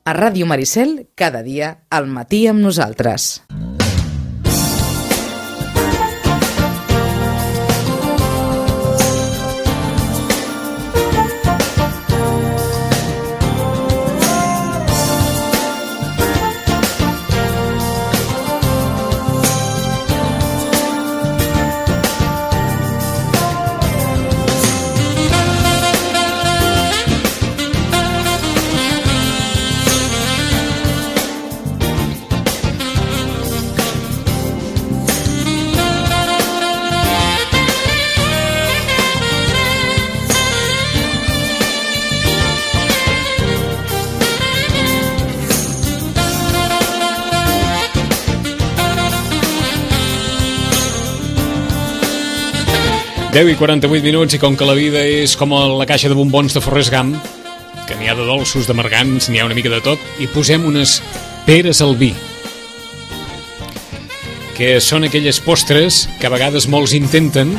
A Ràdio Maricel, cada dia al matí amb nosaltres. Deu i 48 minuts, i com que la vida és com la caixa de bombons de Forrest Gump, que n'hi ha de dolços, d'amargants, n'hi ha una mica de tot, i posem unes peres al vi, que són aquelles postres que a vegades molts intenten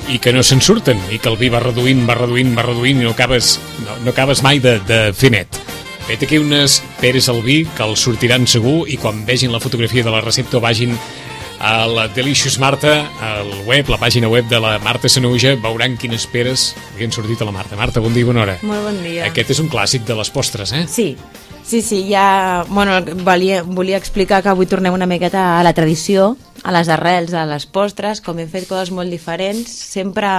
i que no se'n surten, i que el vi va reduint i no acabes mai de fer net. Vet aquí unes peres al vi que els sortiran segur, i quan vegin la fotografia de la recepta o vagin a la Delicious Marta, al web, la pàgina web de la Marta Sanahuja, veuran quines peres havien sortit a la Marta. Marta, bon dia i bona hora. Molt bon dia. Aquest és un clàssic de les postres, eh? Sí, ja... Bueno, volia explicar que avui tornem una miqueta a la tradició, a les arrels, a les postres, com hem fet coses molt diferents. Sempre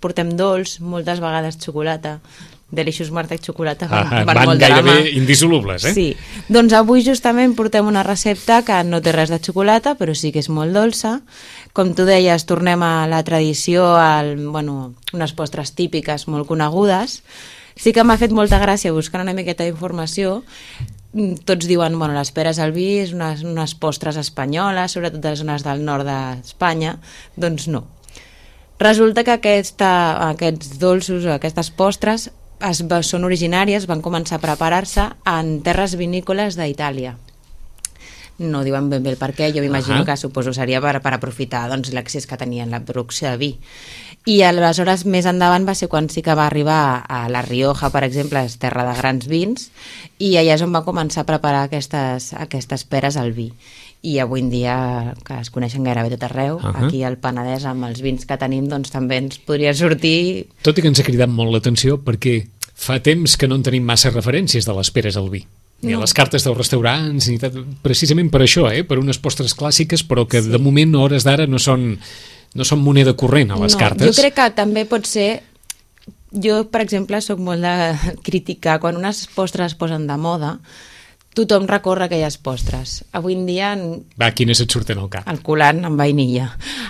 portem dolç, moltes vegades xocolata. Delicious Marta i xocolata van molt de la mà. Gairebé indissolubles, eh? Sí. Doncs avui justament portem una recepta que no té res de xocolata, però sí que és molt dolça. Com tu deies, tornem a la tradició, unes postres típiques molt conegudes. Sí que m'ha fet molta gràcia buscar una miqueta d'informació. Tots diuen, les peres al vi és unes postres espanyoles, sobretot de les zones del nord d'Espanya. Doncs no. Resulta que aquests dolços, aquestes postres, són originàries, van començar a preparar-se en terres vinícoles d'Itàlia. No diuen ben bé el per què, jo m'imagino que suposo seria per aprofitar l'accés que tenien la producció de vi. I aleshores més endavant va ser quan sí que va arribar a La Rioja, per exemple, és terra de grans vins, i allà és on va començar a preparar aquestes peres al vi. I avui en dia, que es coneixen gairebé tot arreu, aquí al Penedès, amb els vins que tenim, doncs també ens podria sortir... Tot i que ens ha cridat molt l'atenció, perquè fa temps que no en tenim massa referències de les peres al vi. Ni a les cartes dels restaurants, ni precisament per això, per unes postres clàssiques, però que de moment, a hores d'ara, no són moneda corrent a les cartes. Jo crec que també pot ser... Jo, per exemple, sóc molt de criticar quan unes postres es posen de moda. Tothom recorre aquelles postres. Avui en dia... Va, quines et surten al cap? El coulant amb vainilla.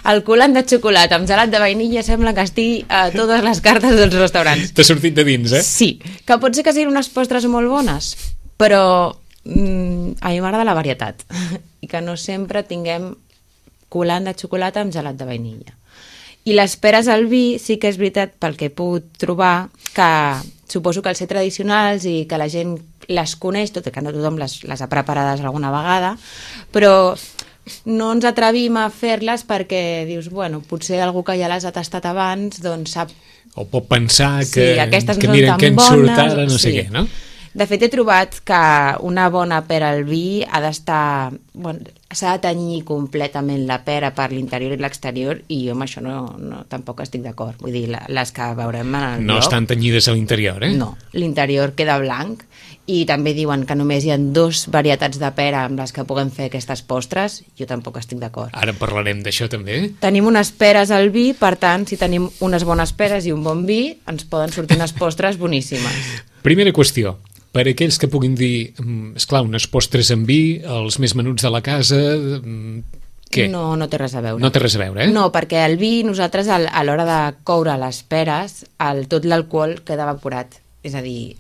El coulant de xocolata amb gelat de vainilla sembla que estigui a totes les cartes dels restaurants. T'ha sortit de dins, eh? Sí, que pot ser que siguin unes postres molt bones, però a mi m'agrada la varietat i que no sempre tinguem coulant de xocolata amb gelat de vainilla. I les peres al vi sí que és veritat, pel que he pogut trobar, que suposo que al ser tradicionals i que la gent les coneix, tot i que no tothom les ha preparades alguna vegada, però no ens atrevim a fer-les perquè dius, potser algú que ja les ha tastat abans, doncs sap... O pot pensar que no miren què en surt ara, no sé què, no? De fet, he trobat que una bona pera al vi ha d'estar... s'ha de tenyir completament la pera per l'interior i l'exterior, i jo amb això tampoc estic d'acord. Vull dir, les que veurem en el blog... No estan tenyides a l'interior, eh? No, l'interior queda blanc, i també diuen que només hi ha 2 varietats de pera amb les que puguem fer aquestes postres. Jo tampoc estic d'acord. Ara parlarem d'això també. Tenim unes peres al vi, per tant, si tenim unes bones peres i un bon vi, ens poden sortir unes postres boníssimes. Primera qüestió. Per aquells que puguin dir, esclar, unes postres amb vi, els més menuts de la casa, què? No té res a veure. No té res a veure, eh? No, perquè el vi, nosaltres, a l'hora de coure les peres, tot l'alcohol queda evaporat. És a dir,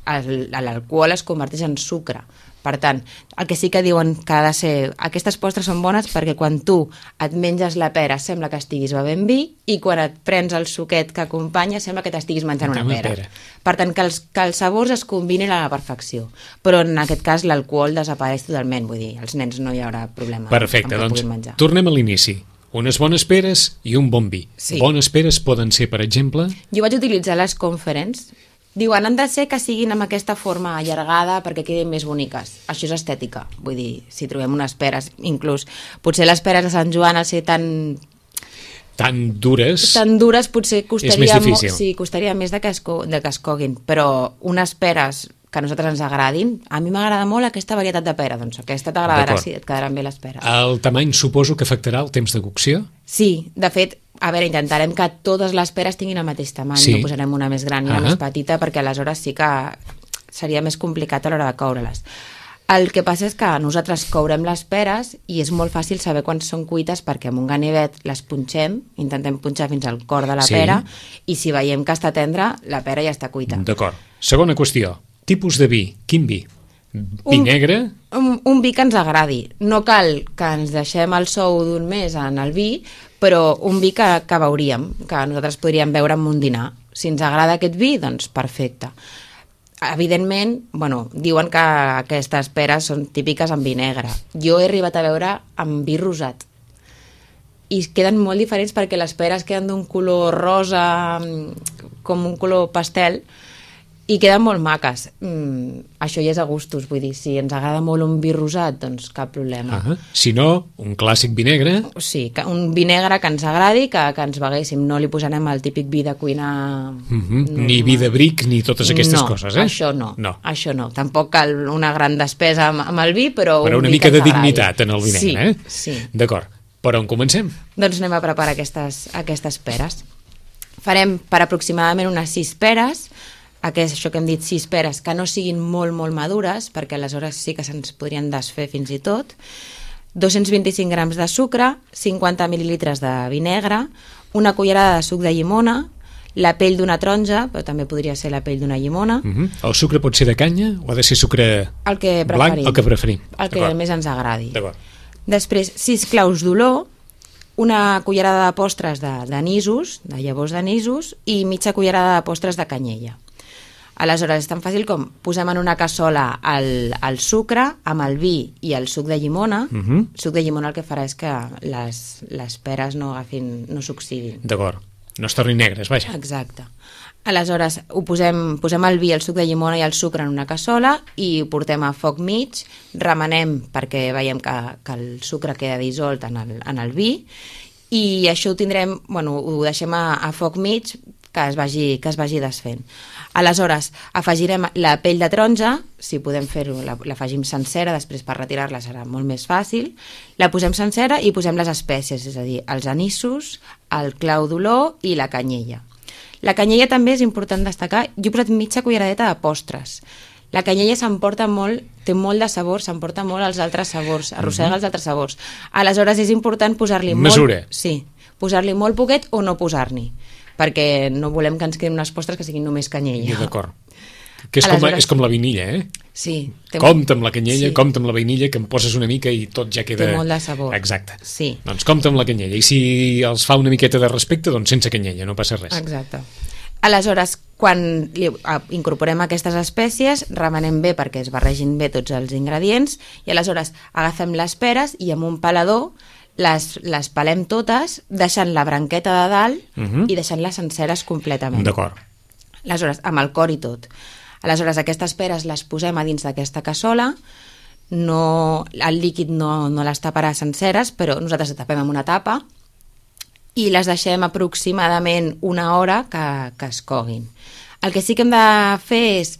l'alcohol es converteix en sucre. Per tant, el que sí que diuen que ha de ser... Aquestes postres són bones perquè quan tu et menges la pera sembla que estiguis bevent vi, i quan et prens el suquet que acompanya sembla que t'estiguis menjant una pera. Per tant, que els sabors es combinin a la perfecció. Però en aquest cas l'alcohol desapareix totalment. Vull dir, als nens no hi haurà problema. Perfecte, doncs tornem a l'inici. Unes bones peres i un bon vi. Sí. Bones peres poden ser, per exemple... Jo vaig utilitzar les Conference, Diuen, han de ser que siguin amb aquesta forma allargada perquè quedin més boniques. Això és estètica. Vull dir, si trobem unes peres, inclús, potser les peres de Sant Joan, al ser tan dures, potser costaria, és més difícil. Sí, costaria més de que es coguin, però unes peres que a nosaltres ens agradin, a mi m'agrada molt aquesta varietat de pera, doncs aquesta t'agradarà, sí, et quedaran bé les peres. El tamany suposo que afectarà el temps de cocció? Sí, de fet, a veure, intentarem que totes les peres tinguin el mateix tamany, sí. No posarem una més gran i una més petita, perquè aleshores sí que seria més complicat a l'hora de coure-les. El que passa és que nosaltres courem les peres i és molt fàcil saber quan són cuites perquè amb un ganivet les punxem, intentem punxar fins al cor de la pera, i si veiem que està tendra, la pera ja està cuita. D'acord. Segona qüestió, tipus de vi. Quin vi? Vi negre? Un vi que ens agradi. No cal que ens deixem el sou d'un mes en el vi, però un vi que veuríem, que nosaltres podríem beure en un dinar. Si ens agrada aquest vi, doncs perfecte. Evidentment, diuen que aquestes peres són típiques en vi negre. Jo he arribat a veure amb vi rosat. I queden molt diferents perquè les peres queden d'un color rosa, com un color pastel, i queden molt maques. Això ja és a gustos, vull dir, si ens agrada molt un vi rosat, doncs cap problema. Si no, un clàssic vi negre. Sí, un vi negre que ens agradi, que ens beguéssim. No li posarem el típic vi de cuinar... Ni vi de bric, ni totes aquestes coses, eh? Això no. Això no. Tampoc cal una gran despesa amb el vi, però un una vi mica que de ens agradi. dignitat en el vi negre, eh? Sí. D'acord. Per on comencem? Doncs anem a preparar aquestes peres. Farem per aproximadament unes 6 peres, això que hem dit 6 peres que no siguin molt, molt madures, perquè aleshores sí que se'ns podrien desfer fins i tot, 225 grams de sucre, 50 mil·lilitres de vi negre, una cullerada de suc de llimona, la pell d'una taronja, però també podria ser la pell d'una llimona. El sucre pot ser de canya o ha de ser sucre blanc? El que preferim. El que més ens agradi. D'acord. Després, 6 claus d'olor, una cullerada de postres d'anissos, de llavors d'anissos, i mitja cullerada de postres de canyella. Aleshores, és tan fàcil com posem en una cassola el sucre amb el vi i el suc de llimona. El suc de llimona el que farà és que les peres no s'oxidin. D'acord, no es tornin negres, vaja. Exacte. Aleshores, posem el vi, el suc de llimona i el sucre en una cassola i ho portem a foc mig, remenem perquè veiem que el sucre queda dissolt en el vi, i això ho tindrem, ho deixem a foc mig que es vagi desfent. Aleshores, afegirem la pell de taronja, si podem fer-ho, l'afegim sencera, després per retirar-la serà molt més fàcil, la posem sencera i posem les espècies, és a dir, els anissos, el clau d'olor i la canyella. La canyella també és important destacar, jo he posat mitja culleradeta de postres. La canyella s'emporta molt, té molt de sabor, s'emporta molt els altres sabors, arrossega els altres sabors. Aleshores és important posar-li mesura. Sí, posar-li molt poquet o no posar-n'hi, perquè no volem que ens quedin unes postres que siguin només canyella. D'acord. Que és com la vainilla, eh? Sí. Compte amb la canyella, compte amb la vainilla, que em poses una mica i tot ja queda... Té molt de sabor. Exacte. Sí. Doncs compte amb la canyella. I si els fa una miqueta de respecte, doncs sense canyella, no passa res. Exacte. Aleshores, quan incorporem aquestes espècies, remenem bé perquè es barregin bé tots els ingredients, i aleshores agafem les peres i amb un pelador les pelem totes, deixant la branqueta de dalt i deixant-les senceres completament. D'acord. Aleshores, amb el cor i tot. Aleshores, aquestes peres les posem a dins d'aquesta cassola, el líquid no les taparà senceres, però nosaltres les tapem amb una tapa i les deixem aproximadament una hora que es coguin. El que sí que hem de fer és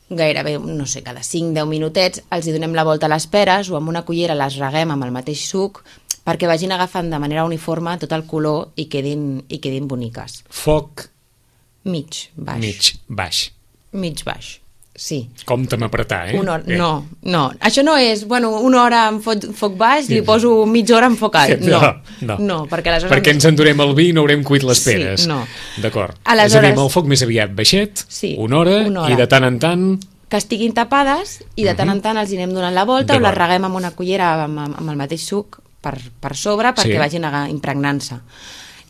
gairebé, no sé, cada 5-10 minutets els hi donem la volta a les peres o amb una cullera les reguem amb el mateix suc perquè vagin agafant de manera uniforme tot el color i quedin boniques. Foc mig baix, sí. Compte amb apretar, eh? Una hora, no. Això no és, una hora amb foc baix, li poso mitja hora amb foc alt. No, perquè aleshores... Perquè ens endurem el vi i no haurem cuit les peres. Sí, no. D'acord. Aleshores... És a dir, amb el foc més aviat baixet, una hora, i de tant en tant... Que estiguin tapades i de tant en tant els hi anem donant la volta o les reguem amb una cullera amb el mateix suc per sobre perquè vagin impregnant-se.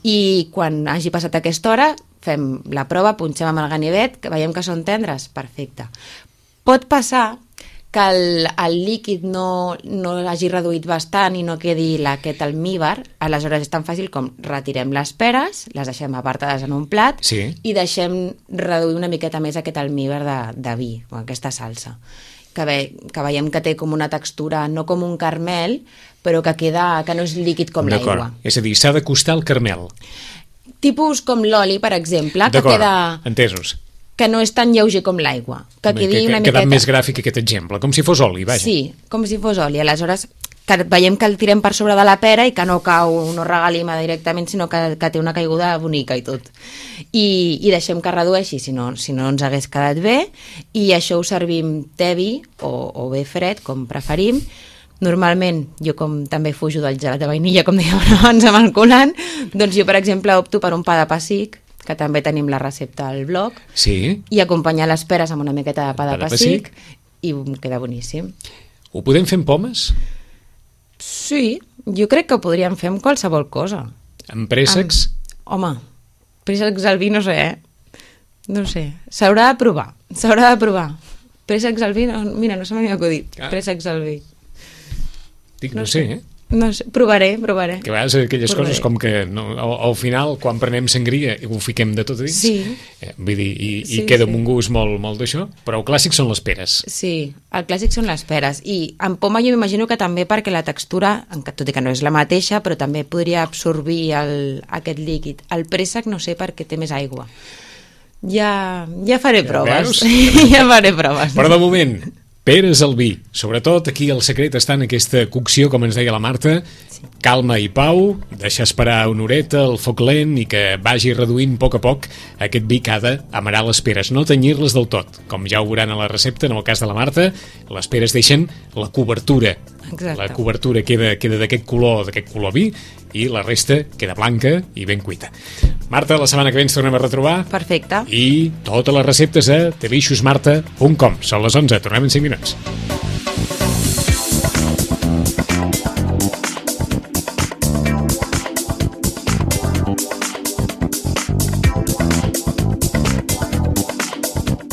I quan hagi passat aquesta hora fem la prova, punxem amb el ganivet, que veiem que són tendres, perfecte. Pot passar que el líquid no hagi reduït bastant i no quedi aquest almívar, aleshores és tan fàcil com retirem les peres, les deixem apartades en un plat i deixem reduir una miqueta més aquest almívar de vi, o aquesta salsa. Que veiem que té com una textura, no com un caramel, però que no és líquid com l'aigua. És a dir, s'ha d'acostar al caramel. Tipus com l'oli, per exemple, que queda... Entesos. Que no és tan lleuger com l'aigua. Que quedi una miqueta... Quedat més gràfic aquest exemple, com si fos oli, vaja. Sí, com si fos oli. Aleshores, que veiem que el tirem per sobre de la pera i que no cau, no regalima directament, sinó que té una caiguda bonica i tot. I deixem que redueixi, si no ens hagués quedat bé, i això ho servim tebi o bé fred, com preferim. Normalment, jo com també fujo del gelat de vainilla, com dèiem abans amb el colant, doncs jo, per exemple, opto per un pa de pessic, que també tenim la recepta al blog, i acompanyar les peres amb una miqueta de pa de pessic, i queda boníssim. Ho podem fer amb pomes? Sí, jo crec que ho podríem fer amb qualsevol cosa. Amb préssecs? Home, préssecs al vi no sé, No sé, s'haurà de provar. Préssecs al vi, mira, no se m'havia acudit. Préssecs al vi. Dic, no sé, No sé, provaré. Que a vegades aquelles coses com que al final, quan prenem sangria, ho fiquem de tot a dins. Sí. Vull dir, i queda amb un gust molt d'això, però el clàssic són les peres. Sí, el clàssic són les peres. I amb poma jo m'imagino que també perquè la textura, tot i que no és la mateixa, però també podria absorbir aquest líquid. El préssec no sé perquè té més aigua. Ja faré proves. Ja faré proves. Però de moment... Peres al vi. Sobretot aquí el secret està en aquesta cocció, com ens deia la Marta, calma i pau, deixar esperar una horeta, el foc lent i que vagi reduint a poc aquest vi que ha d'amarar les peres, no tenyir-les del tot. Com ja ho veuran a la recepta, en el cas de la Marta, les peres deixen la cobertura. Exacte. La cobertura queda d'aquest color vi, i la resta queda blanca i ben cuita. Marta, la setmana que ve ens tornem a retrobar. Perfecte. I totes les receptes a deliciosmarta.com. Són les 11, tornem en 5 minuts.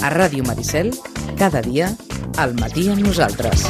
A Ràdio Maricel, cada dia, al matí amb nosaltres.